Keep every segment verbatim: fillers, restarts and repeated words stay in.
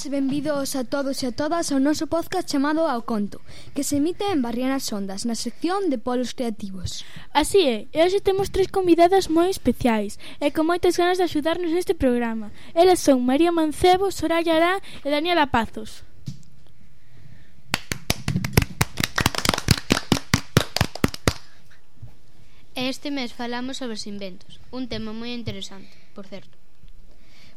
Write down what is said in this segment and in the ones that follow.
benvidas e benvidos a todos e a todas ao noso podcast chamado Ao Conto, que se emite en Barrianas Ondas, na sección de Polos Creativos. Así é, e hoxe temos tres convidadas moi especiais e con moitas ganas de axudarnos neste programa. Elas son María Mancebo, Soraya Arán e Daniela Pazos. Este mes falamos sobre os inventos, un tema moi interesante, por certo.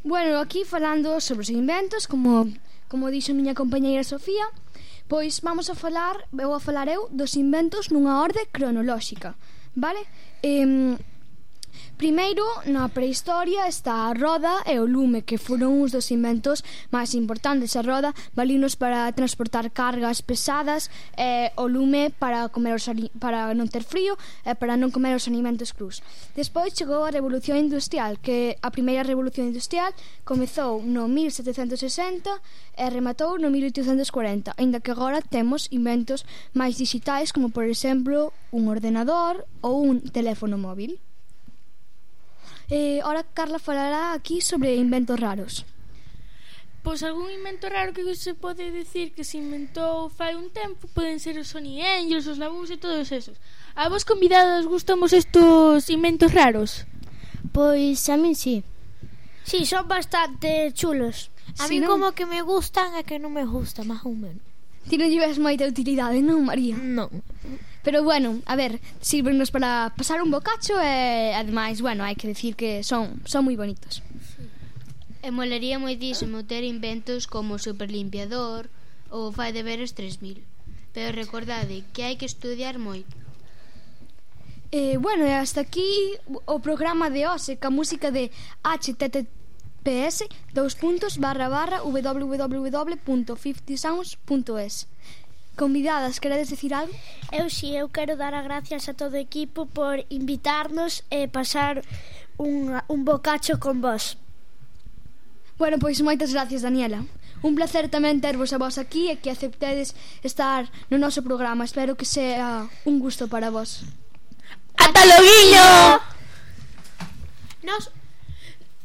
Bueno, aquí falando sobre os inventos, como, como dixo a miña compañeira Sofía, pois vamos a falar, vou a falar eu dos inventos nunha orde cronolóxica, vale? Eh, primeiro, na prehistoria está a roda e o lume, que foron uns dos inventos máis importantes. A roda valinos para transportar cargas pesadas, e o lume para comer os para non ter frío e para non comer os alimentos crus. Despois chegou a Revolución Industrial, que a primeira Revolución Industrial comezou no mil setecentos sesenta e rematou no mil oitocentos cuarenta, aínda que agora temos inventos máis digitais, como por exemplo un ordenador ou un teléfono móvil. Eh, ora Carla falará aquí sobre inventos raros. Pois algún invento raro que se pode decir que se inventou fai un tempo poden ser os Sony Angels, os Labús e todos esos. A vos convidados gustamos estos inventos raros? Pois a min sí. Sí, son bastante chulos. A Sí, mí non? como que me gustan e que non me gusta, máis ou menos. Ti non llevas moita utilidade, non, María? Non. Pero bueno, a ver, sírvenos para pasar un bocacho e ademais, bueno, hai que decir que son son moi bonitos. E molaría moitísimo ter inventos como o superlimpiador ou o fai deberes tres mil. Pero recordade que hai que estudiar moito. Eh, bueno, e hasta aquí o programa de hoxe ca música de H T T P S dous puntos barra barra w w w punto fifty sounds punto es. Convidadas, queredes decir algo? Eu sí, eu quero dar as gracias a todo o equipo por invitarnos e pasar un, un bocacho con vos. Bueno, pois moitas gracias, Daniela. Un placer tamén tervos a vos aquí e que aceptedes estar no noso programa. Espero que sea un gusto para vos. ¡Ata loguiño! Nos